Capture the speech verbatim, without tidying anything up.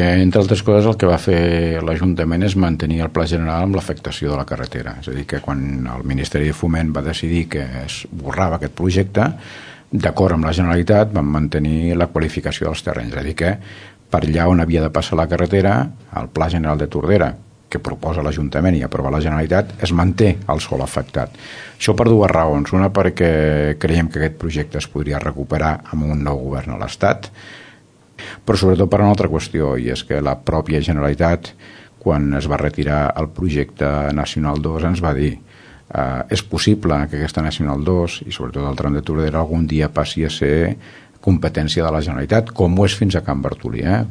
Entre altres coses, el que va fer l'Ajuntament és mantenir el pla general amb l'afectació de la carretera. És a dir, que quan el Ministeri de Foment va decidir que es borrava aquest projecte, d'acord amb la Generalitat van mantenir la qualificació dels terrenys. És a dir, que per allà on havia de passar la carretera, el Pla General de Tordera, que proposa l'Ajuntament i aprova la Generalitat, es manté el sòl afectat. Això per dues raons. Una, perquè creiem que aquest projecte es podria recuperar amb un nou govern a l'Estat, però sobretot per una altra qüestió, i és que la pròpia Generalitat, quan es va retirar el projecte Nacional dos, ens va dir eh, és possible que aquesta Nacional dos, i sobretot el tram de Tordera, algun dia passi a ser competència de la Generalitat, com ho és fins a Can Bartolí. Eh?